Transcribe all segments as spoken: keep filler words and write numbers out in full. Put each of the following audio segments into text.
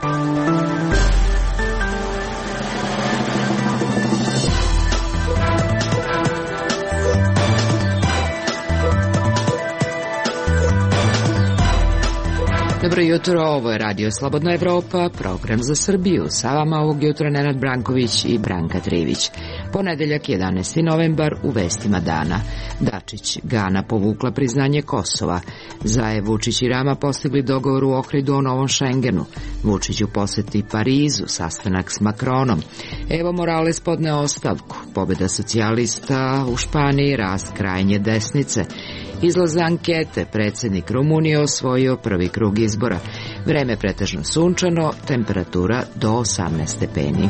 Dobro jutro, ovo je Radio Slobodna Evropa, program za Srbiju. Sa vama ovog jutra Nenad Branković i Branka Trivić. Ponedeljak, jedanaesti novembar, u vestima dana. Dačić, Gana povukla priznanje Kosova. Zaev, Vučić i Rama postigli dogovor u Ohridu o novom Šengenu. Vučić u poseti Parizu, sastanak s Makronom. Evo Morales podneo ostavku. Pobjeda socijalista u Španiji, rast krajnje desnice. Izlaz ankete, predsjednik Rumunije osvojio prvi krug izbora. Vreme pretežno sunčano, temperatura do osamnaest stepeni.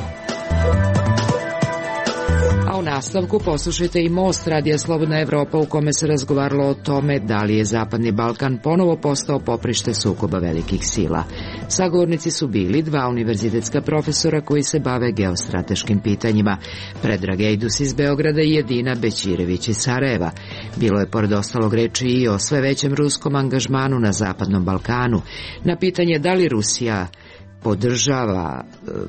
A u nastavku poslušajte i Most Radija Slobodna Evropa, u kome se razgovaralo o tome da li je Zapadni Balkan ponovo postao poprište sukoba velikih sila. Sagovornici su bili dva univerzitetska profesora koji se bave geostrateškim pitanjima, Predrag Ejdus iz Beograda i Edina Bećirević iz Sarajeva. Bilo je pored ostalog reči i o sve većem ruskom angažmanu na Zapadnom Balkanu. Na pitanje da li Rusija podržava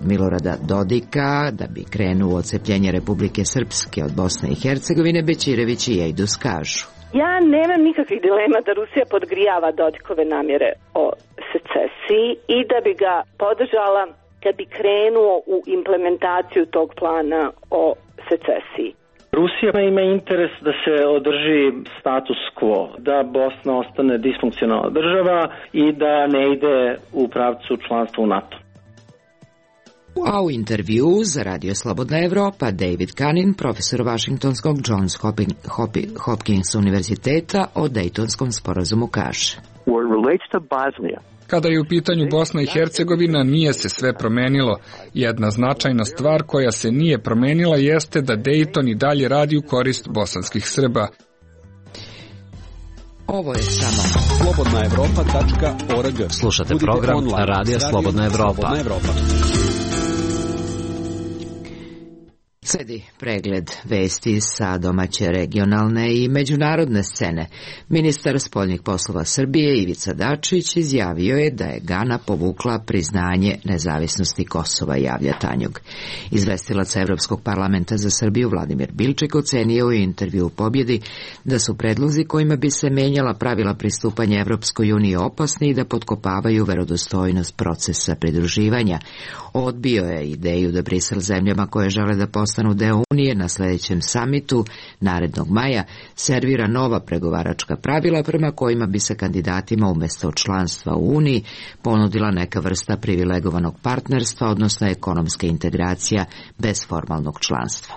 Milorada Dodika da bi krenuo odcepljenje Republike Srpske od Bosne i Hercegovine, Bećirević i Ejdus kažu: Ja nemam nikakvih dilema da Rusija podgrijava Dodikove namjere o secesiji i da bi ga podržala kad bi krenuo u implementaciju tog plana o secesiji. Rusija ima interes da se održi status quo, da Bosna ostane disfunkcionalna država i da ne ide u pravcu članstva u NATO. A u intervju za Radio Slobodna Evropa David Kanin, profesor Washingtonskog Johns Hopkins univerziteta, o Dejtonskom sporazumu kaže: Kada je u pitanju Bosna i Hercegovina, nije se sve promenilo. Jedna značajna stvar koja se nije promenila jeste da Dejton i dalje radi u korist bosanskih Srba. Ovo je samo slobodna evropa tačka org. Slušate program Radija Slobodna Evropa. Sledi pregled vesti sa domaće, regionalne i međunarodne scene. Ministar spoljnih poslova Srbije Ivica Dačić izjavio je da je Gana povukla priznanje nezavisnosti Kosova, javlja Tanjug. Izvestilac Evropskog parlamenta za Srbiju Vladimir Bilček ocenio u intervju u Pobjedi da su predlozi kojima bi se menjala pravila pristupanja Evropskoj uniji opasni i da potkopavaju verodostojnost procesa pridruživanja. Odbio je ideju da Brisel zemljama koje žele da postanu deo Unije na sljedećem samitu narednog maja servira nova pregovaračka pravila prema kojima bi se kandidatima umjesto članstva u Uniji ponudila neka vrsta privilegovanog partnerstva, odnosno ekonomska integracija bez formalnog članstva.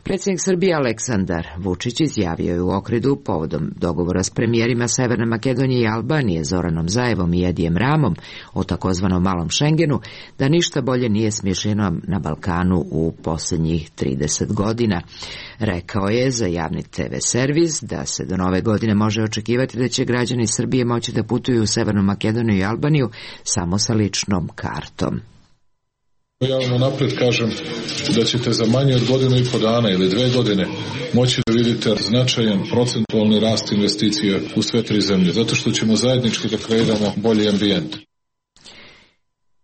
Predsjednik Srbije Aleksandar Vučić izjavio je u Ohridu povodom dogovora s premijerima Severne Makedonije i Albanije Zoranom Zaevom i Edijem Ramom o takozvanom malom Šengenu da ništa bolje nije smišljeno na Balkanu u posljednjih trideset godina. Rekao je za javni te ve servis da se do nove godine može očekivati da će građani Srbije moći da putuju u Severnu Makedoniju i Albaniju samo sa ličnom kartom. Ja vam napred kažem da ćete za manje od godinu i po dana ili dve godine moći da vidite značajan procentualni rast investicija u sve tri zemlje, zato što ćemo zajednički da kreiramo bolji ambijent.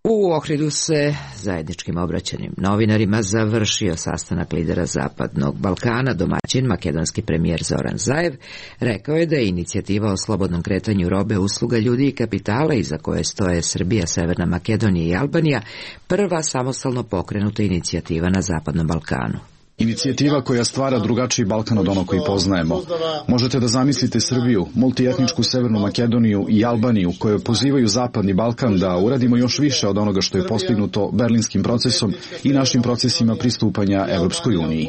U Ohridu se zajedničkim obraćanjem novinarima završio sastanak lidera Zapadnog Balkana. Domaćin, makedonski premijer Zoran Zaev, rekao je da je inicijativa o slobodnom kretanju robe, usluga, ljudi i kapitala iza koje stoje Srbija, Severna Makedonija i Albanija prva samostalno pokrenuta inicijativa na Zapadnom Balkanu. Inicijativa koja stvara drugačiji Balkan od onog koji poznajemo. Možete da zamislite Srbiju, multietničku Severnu Makedoniju i Albaniju koje pozivaju Zapadni Balkan da uradimo još više od onoga što je postignuto Berlinskim procesom i našim procesima pristupanja Evropskoj uniji.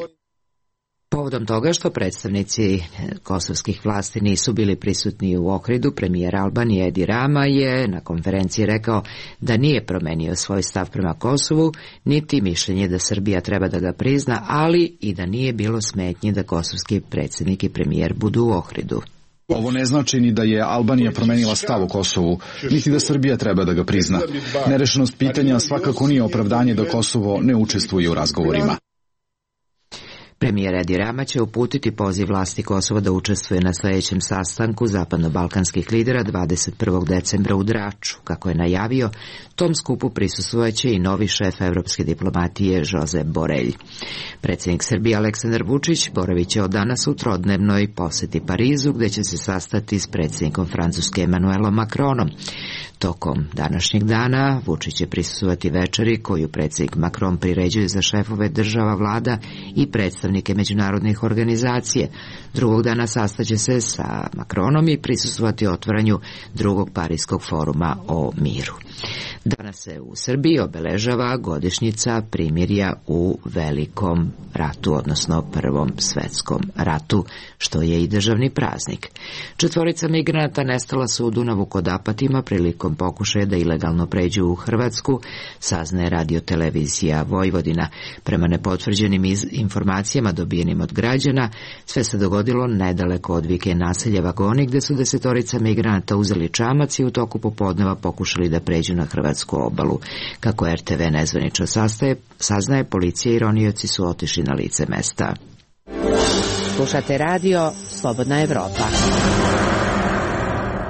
Povodom toga što predstavnici kosovskih vlasti nisu bili prisutni u Ohridu, premijer Albanije Edi Rama je na konferenciji rekao da nije promenio svoj stav prema Kosovu, niti mišljenje da Srbija treba da ga prizna, ali i da nije bilo smetnje da kosovski predsjednik i premijer budu u Ohridu. Ovo ne znači ni da je Albanija promenila stav u Kosovu, niti da Srbija treba da ga prizna. Nerešenost pitanja svakako nije opravdanje da Kosovo ne učestvuje u razgovorima. Premijer Edi Rama će uputiti poziv vlasti Kosova da učestvuje na sljedećem sastanku zapadno-balkanskih lidera dvadeset prvog decembra u Draču. Kako je najavio, tom skupu prisustvojaće i novi šef evropske diplomatije Josep Borelj. Predsjednik Srbije Aleksandar Vučić boravit će od danas u trodnevnoj posjeti Parizu, gdje će se sastati s predsjednikom Francuske Emmanuelom Macronom. Tokom današnjeg dana Vučić će prisustvovati večeri koju predsjednik Macron priređuje za šefove država, vlada i predstavnike međunarodnih organizacije. Drugog dana sastaće se sa Macronom i prisustvovati otvaranju drugog Parijskog foruma o miru. Danas se u Srbiji obeležava godišnjica primirja u Velikom ratu, odnosno Prvom svetskom ratu, što je i državni praznik. Četvorica migranata nestala su u Dunavu kod Apatima prilikom pokušaja da ilegalno pređu u Hrvatsku, saznaje radiotelevizija Vojvodina. Prema nepotvrđenim informacijama dobijenim od građana, sve se dogodilo nedaleko od vike naselja Vagoni, gde su desetorica migranata uzeli čamac i u toku popodneva pokušali da pređu na hrvatsku obalu. Kako er te ve nezvanično sastaje, saznaje, policija i ronioci su otišli na lice mesta. Slušate radio Slobodna Evropa.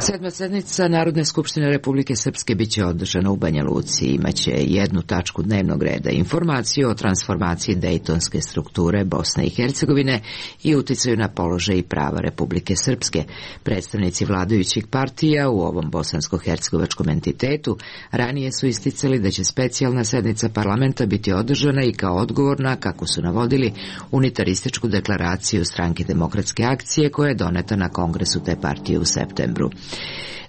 Sedma sednica Narodne skupštine Republike Srpske biće održana u Banja Luci. Imaće jednu tačku dnevnog reda, informaciju o transformaciji dejtonske strukture Bosne i Hercegovine i uticaju na položaj i prava Republike Srpske. Predstavnici vladajućih partija u ovom bosansko-hercegovačkom entitetu ranije su isticali da će specijalna sednica parlamenta biti održana i kao odgovor na, kako su navodili, unitarističku deklaraciju Stranke demokratske akcije koja je doneta na kongresu te partije u septembru.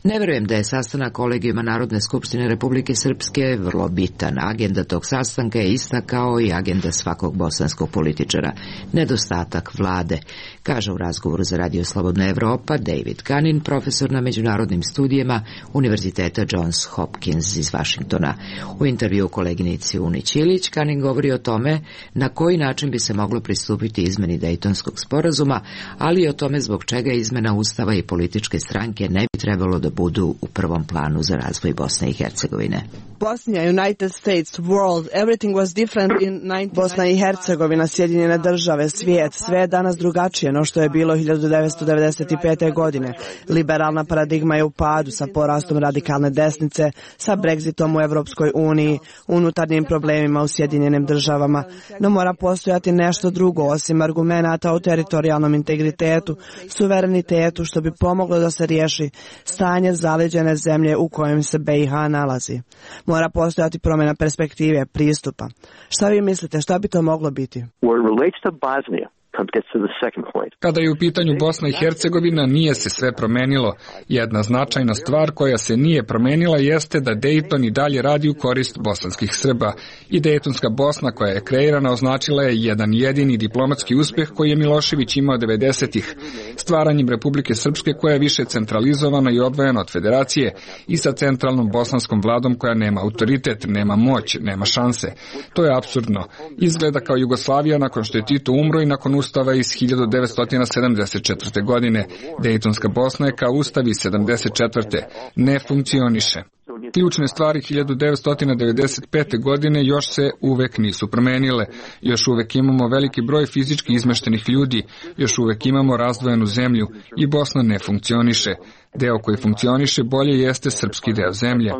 Ne verujem da je sastanak kolegijuma Narodne skupštine Republike Srpske vrlo bitan. Agenda tog sastanka je ista kao i agenda svakog bosanskog političara. Nedostatak vlade, kaže u razgovoru za Radio Slobodna Evropa David Kanin, profesor na međunarodnim studijima Univerziteta Johns Hopkins iz Vašingtona. U intervju koleginici Uni Ćilić, Kanin govori o tome na koji način bi se moglo pristupiti izmeni Dejtonskog sporazuma, ali i o tome zbog čega izmena ustava i političke stranke ne bi trebalo da budu u prvom planu za razvoj Bosne i Hercegovine. Bosnia, United States, world, everything was different in Bosna i Hercegovina, Sjedinjene države, svijet, sve je danas drugačije no što je bilo hiljadu devetsto devedeset pete. godine. Liberalna paradigma je u padu sa porastom radikalne desnice, sa Brexitom u Evropskoj uniji, unutarnjim problemima u Sjedinjenim državama, no mora postojati nešto drugo osim argumenata o teritorijalnom integritetu, suverenitetu, što bi pomoglo da se riješi stanje zaleđene zemlje u kojem se be i ha nalazi. Mora postojati promjena perspektive, pristupa. Šta vi mislite, šta bi to moglo biti? Kada je u pitanju Bosna i Hercegovina, nije se sve promenilo. Jedna značajna stvar koja se nije promenila jeste da Dejton i dalje radi u korist bosanskih Srba. I Dejtonska Bosna koja je kreirana označila je jedan jedini diplomatski uspjeh koji je Milošević imao devedesetih. Stvaranjem Republike Srpske koja je više centralizovana i odvojena od federacije i sa centralnom bosanskom vladom koja nema autoritet, nema moć, nema šanse. To je apsurdno. Izgleda kao Jugoslavija nakon što je Tito umro i nakon ustava iz hiljadu devetsto sedamdeset četvrte. godine. Dejtonska Bosna je kao ustav iz sedamdeset četvrte. ne funkcioniše. Ključne stvari hiljadu devetsto devedeset pete. godine još se uvek nisu promenile. Još uvek imamo veliki broj fizički izmeštenih ljudi, još uvek imamo razdvojenu zemlju i Bosna ne funkcioniše. Deo koji funkcioniše bolje jeste srpski deo zemlje.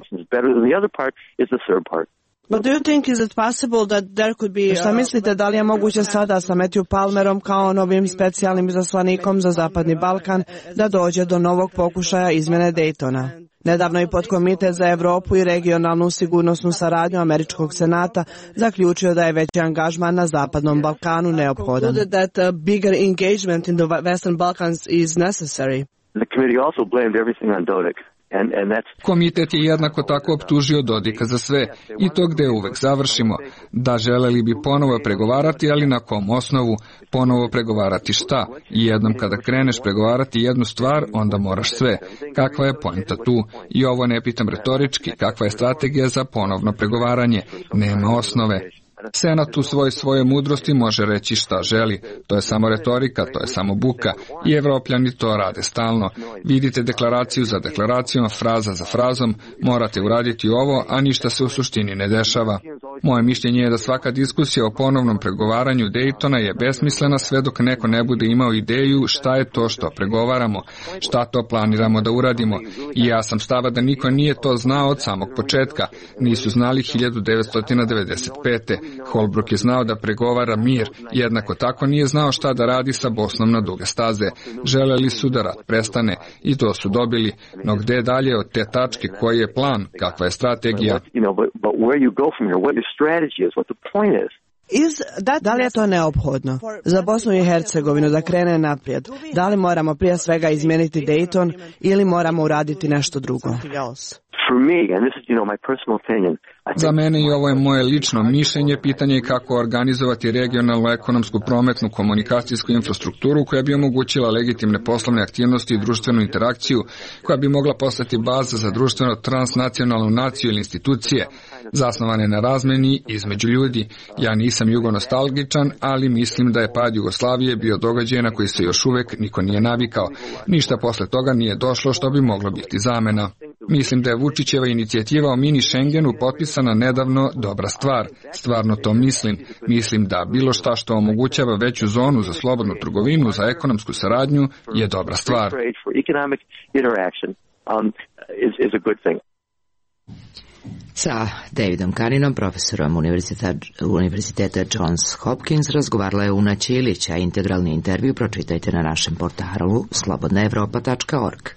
But do you think is it possible that there could be... Šta mislite, da li je moguće sada sa Matthew Palmerom kao novim specijalnim izaslanikom za Zapadni Balkan da dođe do novog pokušaja izmjene Dejtona? Nedavno i podkomitet za Evropu i regionalnu sigurnosnu saradnju Američkog senata zaključio da je veći angažman na Zapadnom Balkanu neophodan. That a bigger engagement in the Western Balkans is necessary. The committee also blamed everything on Dodik. Komitet je jednako tako optužio Dodika za sve i to gde uvek završimo. Da, želeli bi ponovo pregovarati, ali na kom osnovu? Ponovo pregovarati šta? I jednom kada kreneš pregovarati jednu stvar, onda moraš sve. Kakva je poenta tu? I ovo ne pitam retorički, kakva je strategija za ponovno pregovaranje? Nema osnove. Senat u svoj svoje mudrosti može reći šta želi. To je samo retorika, to je samo buka. I Evropljani to rade stalno. Vidite deklaraciju za deklaracijom, fraza za frazom, morate uraditi ovo, a ništa se u suštini ne dešava. Moje mišljenje je da svaka diskusija o ponovnom pregovaranju Daytona je besmislena sve dok neko ne bude imao ideju šta je to što pregovaramo, šta to planiramo da uradimo. I ja sam stava da niko nije to znao od samog početka. Nisu znali hiljadu devetsto devedeset pete. Holbrooke je znao da pregovara mir, jednako tako nije znao šta da radi sa Bosnom na duge staze. Želeli su da rat prestane i to su dobili. No gde dalje od te tačke, koji je plan, kakva je strategija? Iz, da, da li je to neophodno za Bosnu i Hercegovinu da krene naprijed? Da li moramo prije svega izmijeniti Dayton ili moramo uraditi nešto drugo? Za mene i ovo je moje lično mišljenje, pitanje je kako organizovati regionalnu ekonomsku, prometnu, komunikacijsku infrastrukturu koja bi omogućila legitimne poslovne aktivnosti i društvenu interakciju, koja bi mogla postati baza za društveno transnacionalnu naciju ili institucije, zasnovane na razmeni između ljudi. Ja nisam jugonostalgičan, ali mislim da je pad Jugoslavije bio događaj na koji se još uvek niko nije navikao. Ništa posle toga nije došlo što bi moglo biti zamena. Mislim da je Vučićeva inicijativa o mini Schengenu potpisana nedavno dobra stvar. Stvarno to mislim. Mislim da bilo šta što omogućava veću zonu za slobodnu trgovinu, za ekonomsku saradnju, je dobra stvar. Sa Davidom Kaninom, profesorom univerziteta, univerziteta Johns Hopkins, razgovarala je Una Ćilić, a integralni intervju pročitajte na našem portalu slobodna evropa tačka org.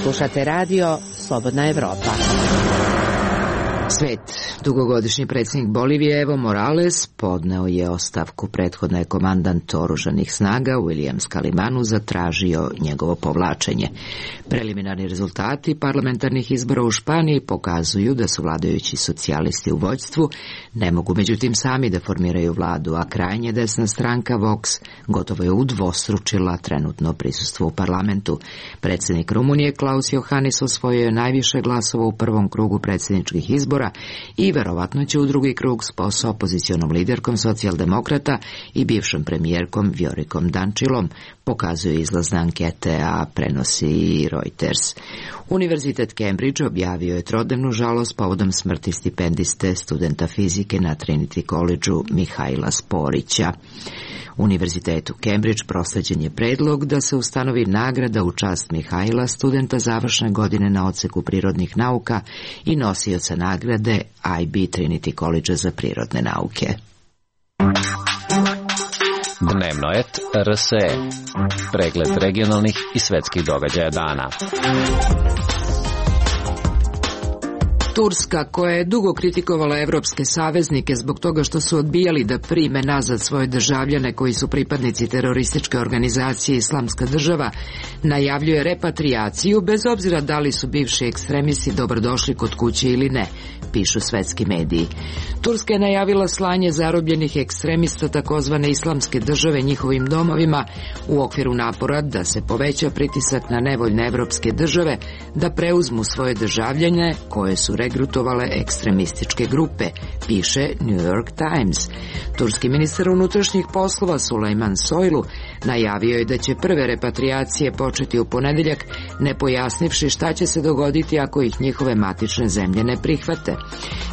Slušate radio Slobodna Evropa. Svet. Dugogodišnji predsjednik Bolivije Evo Morales podneo je ostavku. Prethodno je komandant oružanih snaga William Scalimanu zatražio njegovo povlačenje. Preliminarni rezultati parlamentarnih izbora u Španiji pokazuju da su vladajući socijalisti u vođstvu ne mogu međutim sami da formiraju vladu, a krajnje desna stranka Vox gotovo je udvostručila trenutno prisustvo u parlamentu. Predsjednik Rumunije Klaus Johannis osvojio je najviše glasova u prvom krugu predsjedničkih izbora i verovatno će u drugi krug s opozicionom liderkom socijaldemokrata i bivšom premijerkom Vjorikom Dančilom, pokazuje izlazne ankete, a prenosi i Reuters. Univerzitet Cambridge objavio je trodnevnu žalost povodom smrti stipendiste studenta fizike na Trinity College-u Mihajla Sporića. Univerzitetu Cambridge prosleđen je predlog da se ustanovi nagrada u čast Mihajla, studenta završne godine na odseku prirodnih nauka i nosioca nagrade I B Trinity College za prirodne nauke. Dnevno et R S E. Pregled regionalnih i svetskih događaja dana. Turska, koja je dugo kritikovala evropske saveznike zbog toga što su odbijali da prime nazad svoje državljane koji su pripadnici terorističke organizacije Islamska država, najavljuje repatrijaciju bez obzira da li su bivši ekstremisti dobrodošli kod kuće ili ne, pišu svetski mediji. Turska je najavila slanje zarobljenih ekstremista takozvane Islamske države njihovim domovima u okviru napora da se poveća pritisak na nevoljne evropske države da preuzmu svoje državljane koje su regrutovale ekstremističke grupe, piše New York Times. Turski ministar unutrašnjih poslova Sulejman Soylu najavio je da će prve repatrijacije početi u ponedeljak, ne pojasnivši šta će se dogoditi ako ih njihove matične zemlje ne prihvate.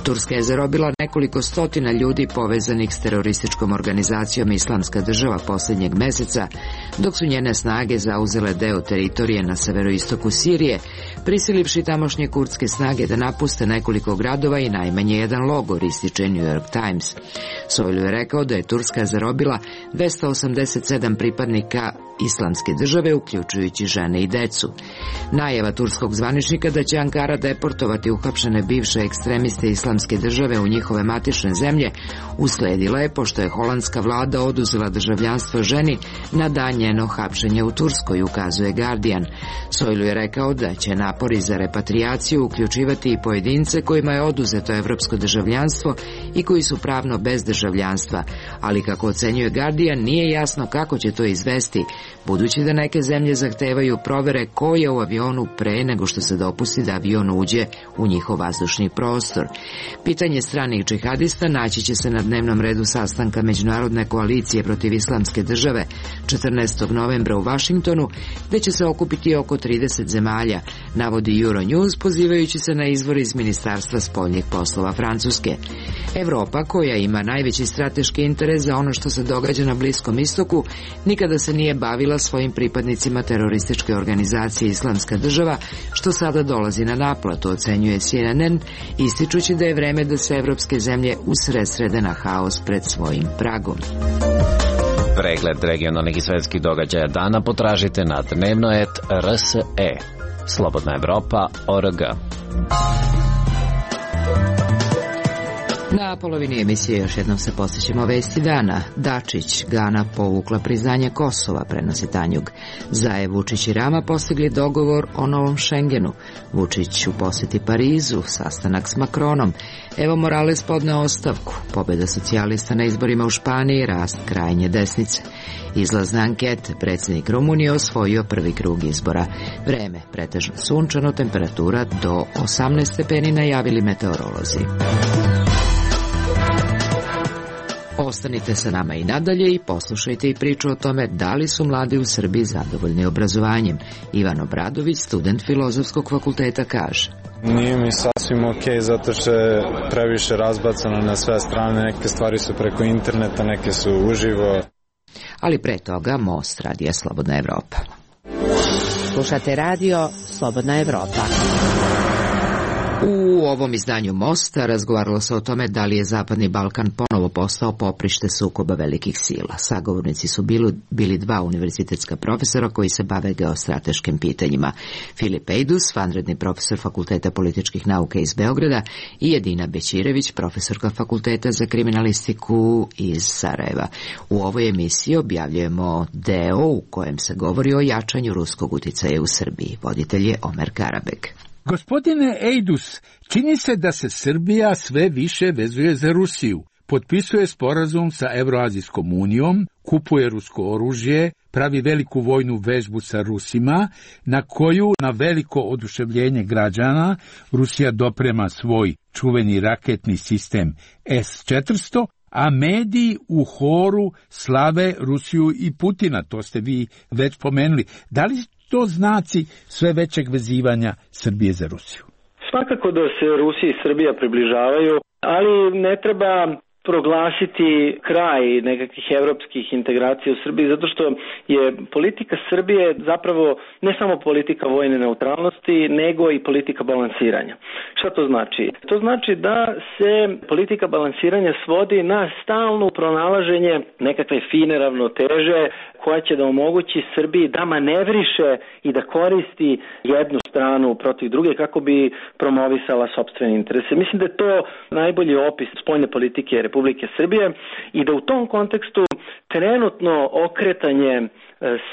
Turska je zarobila nekoliko stotina ljudi povezanih s terorističkom organizacijom Islamska država posljednjeg meseca, dok su njene snage zauzele deo teritorije na severoistoku Sirije, prisilivši tamošnje kurdske snage da napuste nekoliko gradova i najmanje jedan logor, ističe New York Times. Soylu je rekao da je Turska zarobila dvesta osamdeset sedam pripadnika Islamske države, uključujući žene i decu. Najava turskog zvaničnika da će Ankara deportovati uhapšene bivše ekstremiste Islamske države u njihove matične zemlje usledila je pošto je holandska vlada oduzela državljanstvo ženi na dan njeno hapšenje u Turskoj, ukazuje Guardian. Soylu je rekao da će napori za repatrijaciju uključivati i pojedince kojima je oduzeto evropsko državljanstvo i koji su pravno bez državljanstva, ali kako ocenjuje Guardian, nije jasno kako će to izvesti, budući da neke zemlje zahtevaju provere ko je u avionu pre nego što se dopusti da avion uđe u njihov vazdušni prostor. Pitanje stranih džihadista naći će se na dnevnom redu sastanka Međunarodne koalicije protiv Islamske države četrnaestog novembra u Vašingtonu, gde će se okupiti oko trideset zemalja, navodi Euronews pozivajući se na izvor iz Ministarstva spoljnih poslova Francuske. Evropa, koja ima najveći strateški interes za ono što se događa na Bliskom istoku, nikada se nije bavila svojim pripadnicima terorističke organizacije Islamska država, što sada dolazi na naplatu, ocenjuje C N N, ističući da je vreme da se evropske zemlje usredsrede na haos pred svojim pragom. Pregled regionalnih i svetskih događaja dana potražite na dnevnoet R S E. Slobodna Evropa O R G. Na polovini emisije još jednom se posjećamo vesti dana. Dačić, Gana povukla priznanje Kosova, prenosi Tanjug. Zajev, Vučić i Rama postigli dogovor o novom Šengenu. Vučić u posjeti Parizu, sastanak s Makronom. Evo Morales podneo ostavku. Pobjeda socijalista na izborima u Španiji, rast krajnje desnice. Izlazne ankete, predsjednik Rumunije osvojio prvi krug izbora. Vreme, pretežno sunčano, temperatura do osamnaest stepeni, najavili meteorolozi. Ostanite sa nama i nadalje i poslušajte i priču o tome da li su mladi u Srbiji zadovoljni obrazovanjem. Ivan Obradović, student Filozofskog fakulteta, kaže: Nije mi sasvim ok, zato što je previše razbacano na sve strane. Neke stvari su preko interneta, neke su uživo. Ali pre toga Most, radija Slobodna Evropa. Slušate radio Slobodna Evropa. U ovom izdanju Mosta razgovaralo se o tome da li je Zapadni Balkan ponovo postao poprište sukoba velikih sila. Sagovornici su bili, bili dva univerzitetska profesora koji se bave geostrateškim pitanjima. Filip Ejdus, vanredni profesor Fakulteta političkih nauka iz Beograda, i Edina Bećirević, profesorka Fakulteta za kriminalistiku iz Sarajeva. U ovoj emisiji objavljujemo deo u kojem se govori o jačanju ruskog uticaja u Srbiji. Voditelj je Omer Karabek. Gospodine Ejdus, čini se da se Srbija sve više vezuje za Rusiju. Potpisuje sporazum sa Evroazijskom unijom, kupuje rusko oružje, pravi veliku vojnu vežbu sa Rusima, na koju, na veliko oduševljenje građana, Rusija doprema svoj čuveni raketni sistem S četiristo, a mediji u horu slave Rusiju i Putina, to ste vi već pomenuli. Da li to znaci sve većeg vezivanja Srbije za Rusiju? Svakako da se Rusija i Srbija približavaju, ali ne treba proglasiti kraj nekakvih evropskih integracija u Srbiji, zato što je politika Srbije zapravo ne samo politika vojne neutralnosti, nego i politika balansiranja. Šta to znači? To znači da se politika balansiranja svodi na stalno pronalaženje nekakve fine ravnoteže koja će da omogući Srbiji da manevriše i da koristi jednu stranu protiv druge kako bi promovisala sopstvene interese. Mislim da je to najbolji opis spoljne politike Republike Srbije i da u tom kontekstu trenutno okretanje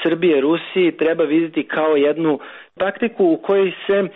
Srbije Rusiji treba vidjeti kao jednu taktiku u kojoj se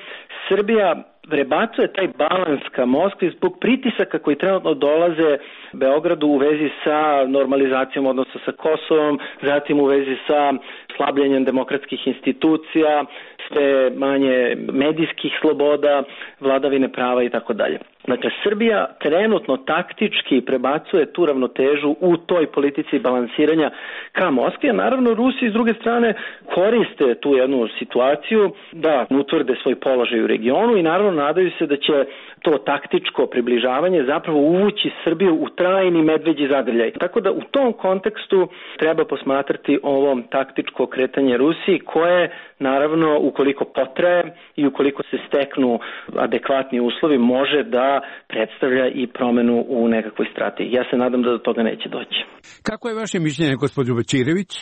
Srbija prebacuje taj balans ka Moskvi zbog pritisaka koji trenutno dolaze Beogradu u vezi sa normalizacijom odnosa sa Kosovom, zatim u vezi sa slabljenjem demokratskih institucija, sve manje medijskih sloboda, vladavine prava i tako dalje. Dakle, Srbija trenutno taktički prebacuje tu ravnotežu u toj politici balansiranja ka Moskvi, a naravno Rusi s druge strane koriste tu jednu situaciju da utvrde svoj položaj u regionu i naravno nadaju se da će to taktičko približavanje zapravo uvući Srbiju u trajni medveđi zagrljaj. Tako da u tom kontekstu treba posmatrati ovo taktičko kretanje Rusiji koje naravno ukoliko potraje i ukoliko se steknu adekvatni uslovi može da predstavlja i promenu u nekakvoj strategiji. Ja se nadam da do toga neće doći. Kako je vaše mišljenje, gospođo Bećirević?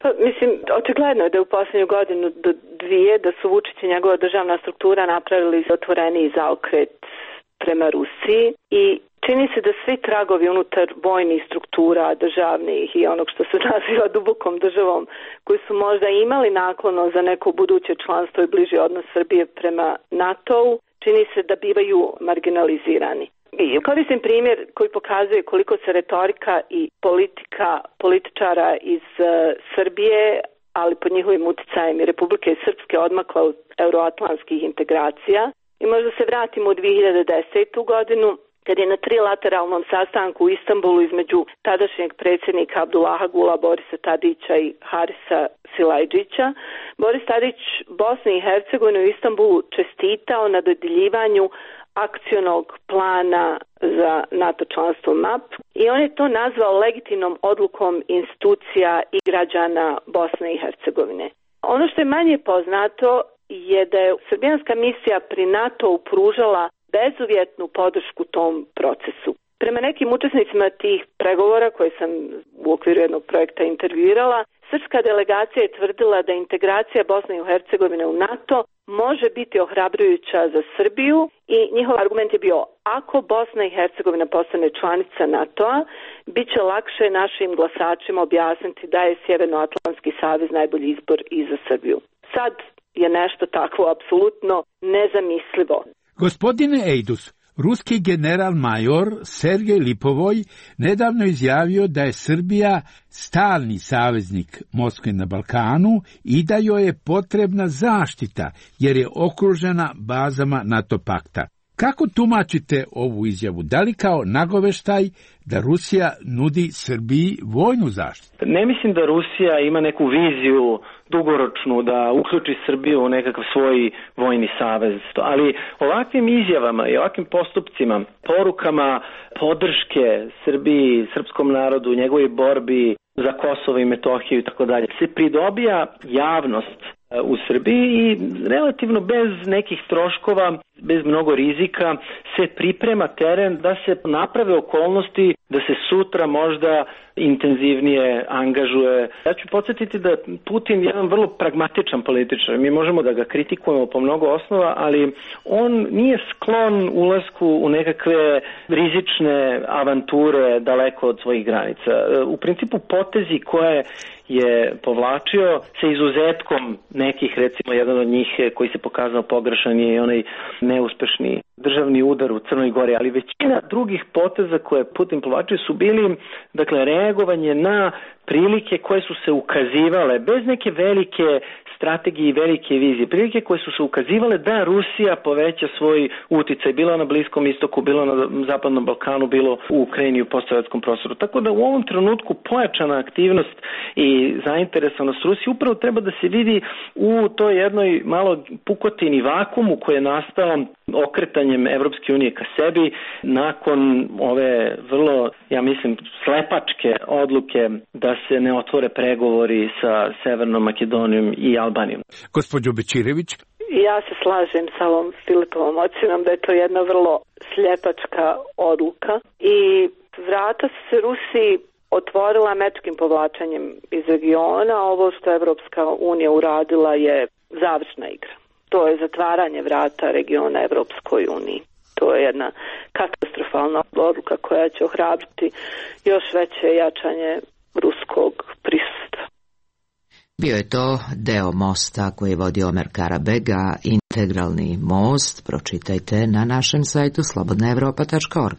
Pa, mislim, očigledno je da u posljednju godinu do dvije da su Vučić i njegova državna struktura napravili otvoreniji zaokret prema Rusiji i čini se da svi tragovi unutar vojnih struktura državnih i onog što se naziva dubokom državom koji su možda imali naklono za neko buduće članstvo i bliži odnos Srbije prema NATO-u, čini se da bivaju marginalizirani. I koristim primjer koji pokazuje koliko se retorika i politika političara iz uh, Srbije, ali pod njihovim uticajem i Republike Srpske odmakla od euroatlantskih integracija. I možda se vratimo u dvije hiljade desetu godinu, kad je na trilateralnom sastanku u Istanbulu između tadašnjeg predsjednika Abdullaha Gula, Borisa Tadića i Harisa Silajdžića, Boris Tadić Bosni i Hercegovini u Istanbulu čestitao na dodjeljivanju akcionog plana za NATO članstvo M A P i on je to nazvao legitimnom odlukom institucija i građana Bosne i Hercegovine. Ono što je manje poznato je da je srbijanska misija pri NATO-u pružala bezuvjetnu podršku tom procesu. Prema nekim učesnicima tih pregovora koje sam u okviru jednog projekta intervjuirala, srpska delegacija je tvrdila da integracija Bosne i Hercegovine u NATO može biti ohrabrujuća za Srbiju i njihov argument je bio: ako Bosna i Hercegovina postane članica NATO-a, bit će lakše našim glasačima objasniti da je Sjevernoatlantski savez najbolji izbor i za Srbiju. Sad je nešto takvo apsolutno nezamislivo. Gospodine Ejdus, ruski general-major Sergej Lipovoj nedavno izjavio da je Srbija stalni saveznik Moskve na Balkanu i da joj je potrebna zaštita jer je okružena bazama NATO pakta. Kako tumačite ovu izjavu? Da li kao nagoveštaj da Rusija nudi Srbiji vojnu zaštitu? Ne mislim da Rusija ima neku viziju dugoročnu da uključi Srbiju u nekakav svoj vojni savez. Ali ovakvim izjavama i ovakvim postupcima, porukama podrške Srbiji, srpskom narodu, njegovoj borbi za Kosovo i Metohiju i tako dalje, se pridobija javnost u Srbiji i relativno bez nekih troškova, bez mnogo rizika se priprema teren da se naprave okolnosti da se sutra možda intenzivnije angažuje. Ja ću podsjetiti da Putin je jedan vrlo pragmatičan političar. Mi možemo da ga kritikujemo po mnogo osnova, ali on nije sklon ulasku u nekakve rizične avanture daleko od svojih granica. U principu potezi koje je povlačio sa izuzetkom nekih, recimo jedan od njih koji se pokazao pogrešan je onaj neuspešni državni udar u Crnoj Gori, ali većina drugih poteza koje Putin povlačio su bili, dakle, reagovanje na prilike koje su se ukazivale bez neke velike strategije i velike vizije, prilike koje su se ukazivale da Rusija poveća svoj uticaj, bilo na Bliskom istoku, bilo na Zapadnom Balkanu, bilo u Ukrajini i u postsovjetskom prostoru. Tako da u ovom trenutku pojačana aktivnost i zainteresovanost Rusije upravo treba da se vidi u toj jednoj malo pukotini vakumu koji je nastao okretanjem Evropske unije ka sebi nakon ove vrlo, ja mislim, slepačke odluke da se ne otvore pregovori sa Severnom Makedonijom i Albanijom. Gospođo Bečirević. Ja se slažem sa ovom Filipovom ocjenom da je to jedna vrlo sljepačka odluka i vrata se Rusiji otvorila američkim povlačenjem iz regiona. Ovo što je Evropska unija uradila je završna igra. To je zatvaranje vrata regiona Evropskoj uniji. To je jedna katastrofalna odluka koja će ohrabriti još veće jačanje ruskog prisustva. Bio je to deo mosta koji vodi Omer Karabega, integralni most. Pročitajte na našem sajtu slobodna evropa tačka org.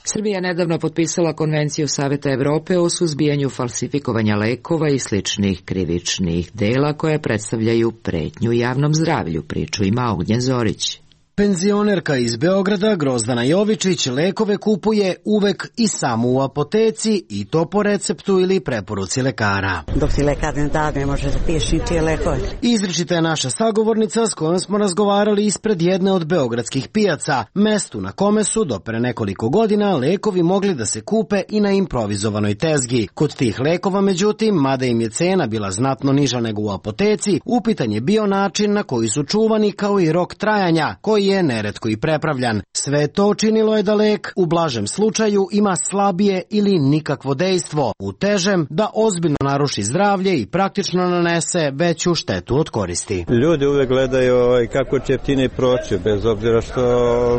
Srbija nedavno potpisala Konvenciju Saveta Evrope o suzbijanju falsifikovanja lekova i sličnih krivičnih dela koje predstavljaju pretnju javnom zdravlju, priču ima Ognjen Zorić. Penzionerka iz Beograda, Grozdana Jovičić, lekove kupuje uvek i samo u apoteci i to po receptu ili preporuci lekara. Dok ti lekar ne da, ne može da piješ ničije lekove. Izričita je naša sagovornica s kojom smo razgovarali ispred jedne od beogradskih pijaca, mestu na kome su do pre nekoliko godina lekovi mogli da se kupe i na improvizovanoj tezgi. Kod tih lekova, međutim, mada im je cena bila znatno niža nego u apoteci, upitan je bio način na koji su čuvani kao i rok trajanja, koji je neretko i prepravljan. Sve to činilo je da lek u blažem slučaju ima slabije ili nikakvo dejstvo, u težem da ozbiljno naruši zdravlje i praktično nanese veću štetu od koristi. Ljudi uvek gledaju kako će jeftine proći, bez obzira što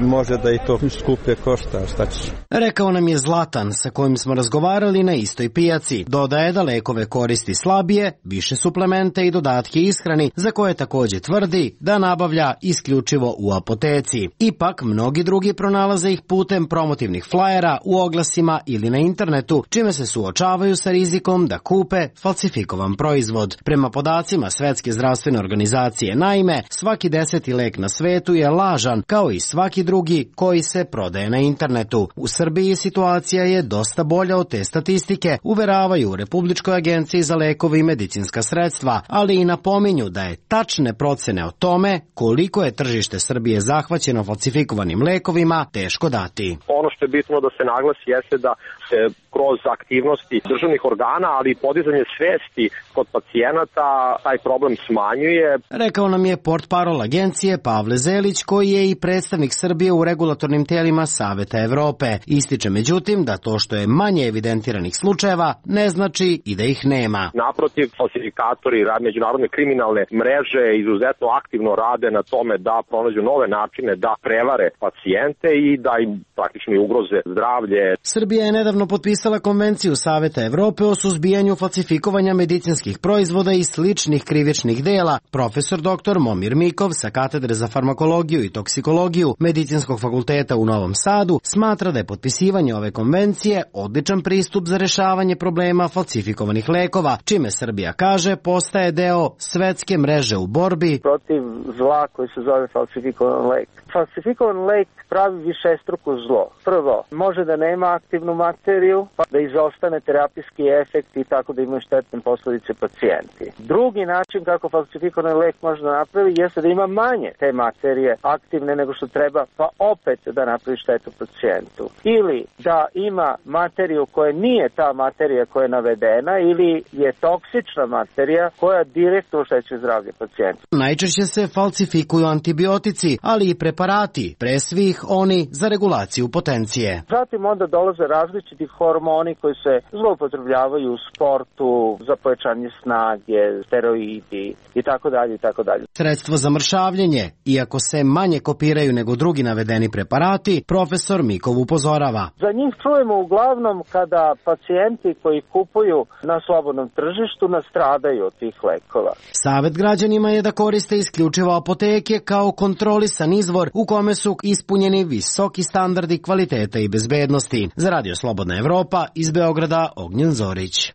može da i to skuplje košta, šta ćeš. Rekao nam je Zlatan, sa kojim smo razgovarali na istoj pijaci. Dodaje da lekove koristi slabije, više suplemente i dodatke ishrani, za koje takođe tvrdi da nabavlja isključivo u apoteci apoteci. Ipak, mnogi drugi pronalaze ih putem promotivnih flajera u oglasima ili na internetu, čime se suočavaju sa rizikom da kupe falsifikovan proizvod. Prema podacima Svetske zdravstvene organizacije, naime, svaki deseti lek na svetu je lažan, kao i svaki drugi koji se prodaje na internetu. U Srbiji situacija je dosta bolja od te statistike, uveravaju u Republičkoj agenciji za lekove i medicinska sredstva, ali i napominju da je tačne procene o tome koliko je tržište Srbije zahvaćeno falsifikovanim lekovima teško dati. Ono što je bitno da se naglasi jeste da se kroz aktivnosti državnih organa, ali i podizanje svesti kod pacijenata taj problem smanjuje. Rekao nam je portparol agencije Pavle Zelić, koji je i predstavnik Srbije u regulatornim telima Saveta Evrope. Ističe međutim da to što je manje evidentiranih slučajeva ne znači i da ih nema. Naprotiv, falsifikatori i međunarodne kriminalne mreže izuzetno aktivno rade na tome da pronađu nove načine da prevare pacijente i da im praktično ugroze zdravlje. Srbija je nedavno potpisala Konvenciju Saveta Evrope o suzbijanju falsifikovanja medicinskih proizvoda i sličnih krivičnih dela. Profesor doktor Momir Mikov sa Katedre za farmakologiju i toksikologiju Medicinskog fakulteta u Novom Sadu smatra da je potpisivanje ove konvencije odličan pristup za rešavanje problema falsifikovanih lekova, čime Srbija kaže postaje deo svetske mreže u borbi protiv zla koji se zove falsifikovan lek. Falsifikovan lek pravi višestruko zlo. Prvo, može da nema aktivnu materiju, pa da izostane terapijski efekt i tako da imaju štetne posledice pacijenti. Drugi način kako falsifikovan lek može da napravi jeste da ima manje te materije aktivne nego što treba, pa opet da napravi štetu pacijentu. Ili da ima materiju koja nije ta materija koja je navedena ili je toksična materija koja direktno oštećuje zdravlje pacijenta. Najčešće se falsifikuju antibiotici, ali i preparati, pre svih oni za regulaciju potencije. Zatim onda dolaze različiti hormoni koji se zloupotrebljavaju u sportu za pojačanje snage, steroidi i tako dalje i tako dalje. Sredstvo za mršavljenje, iako se manje kopiraju nego drugi navedeni preparati, profesor Mikov upozorava. Za njih čujemo uglavnom kada pacijenti koji kupuju na slobodnom tržištu nastradaju od tih lekova. Savet građanima je da koriste isključivo apoteke kao kontrolisan izvor u kome su ispunjeni visoki standardi kvaliteta i bezbednosti. Za Radio Slobodna Evropa iz Beograda, Ognjen Zorić.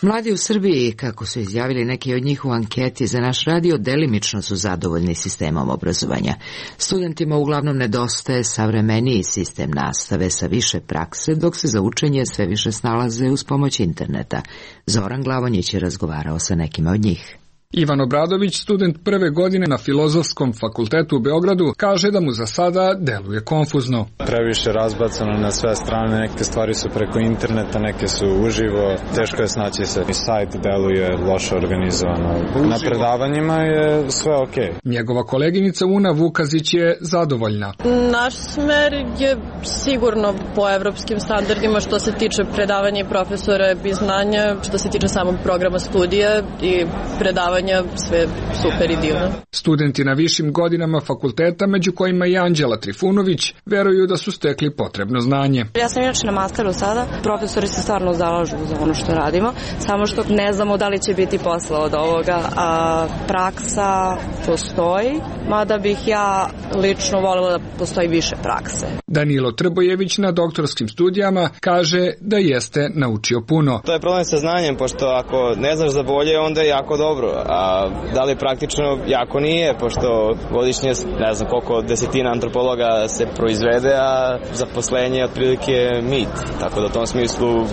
Mladi u Srbiji, kako su izjavili neki od njih u anketi za naš radio, delimično su zadovoljni sistemom obrazovanja. Studentima uglavnom nedostaje savremeniji sistem nastave sa više prakse, dok se za učenje sve više snalaze uz pomoć interneta. Zoran Glavonjić je razgovarao sa nekima od njih. Ivan Obradović, student prve godine na Filozofskom fakultetu u Beogradu, kaže da mu za sada deluje konfuzno. Previše razbacano na sve strane, neke stvari su preko interneta, neke su uživo, teško je snaći se. I sajt deluje loše organizovano. Na predavanjima je sve okej. Okay. Njegova koleginica Una Vukazić je zadovoljna. Naš smer je sigurno po evropskim standardima što se tiče predavanja i profesora i znanja, što se tiče samog programa studija i predavanja, sve super i divno. Studenti na višim godinama fakulteta, među kojima i Anđela Trifunović, veruju da su stekli potrebno znanje. Ja sam inače na masteru sada, profesori se stvarno zalažu za ono što radimo, samo što ne znamo da li će biti posla od ovoga, a praksa postoji, mada bih ja lično voljela da postoji više prakse. Danilo Trbojević na doktorskim studijama kaže da jeste naučio puno. To je problem sa znanjem, pošto ako ne znaš za bolje, onda je jako dobro. A da li praktično jako nije, pošto godišnje ne znam koliko desetina antropologa se proizvede, a zaposlenje je otprilike mit. Tako da u tom smislu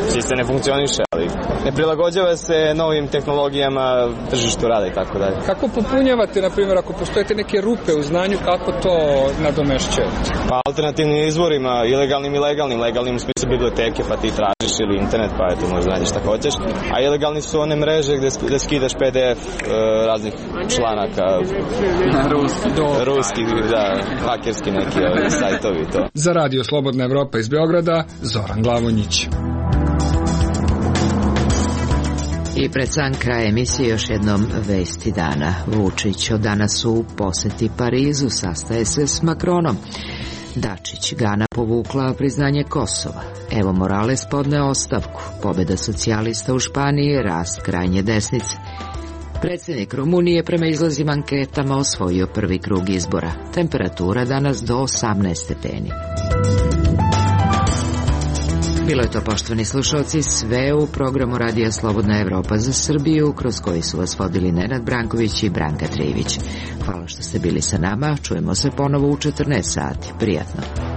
sistem ne funkcioniše, ali ne prilagođava se novim tehnologijama, tržištu rada i tako dalje. Kako popunjavate, na primjer, ako postojete neke rupe u znanju, kako to nadomešćujete? Pa alternativnim izvorima, ilegalnim i legalnim. Legalnim u smislu biblioteke, pa ti tražiš ili internet, pa eto možda nađeš šta hoćeš. A ilegalni su one mreže gde, gde skidaš P D F raznih članaka. Ruski, do. Ruski, da, hakerski neki sajtovi to. Za Radio Slobodna Evropa iz Beograda, Zoran Glavonjić. I pred sam kraj emisije još jednom vesti dana. Vučić od danas u poseti Parizu sastaje se s Makronom. Dačić, Gana povukla priznanje Kosova. Evo Morales podneo ostavku. Pobjeda socijalista u Španiji, rast krajnje desnice. Predsjednik Rumunije prema izlazima anketama osvojio prvi krug izbora. Temperatura danas do osamnaest stepeni. Bilo je to, poštovani slušalci, sve u programu Radija Slobodna Evropa za Srbiju, kroz koji su vas vodili Nenad Branković i Branka Trivić. Hvala što ste bili sa nama, čujemo se ponovo u četrnaest sati. Prijatno.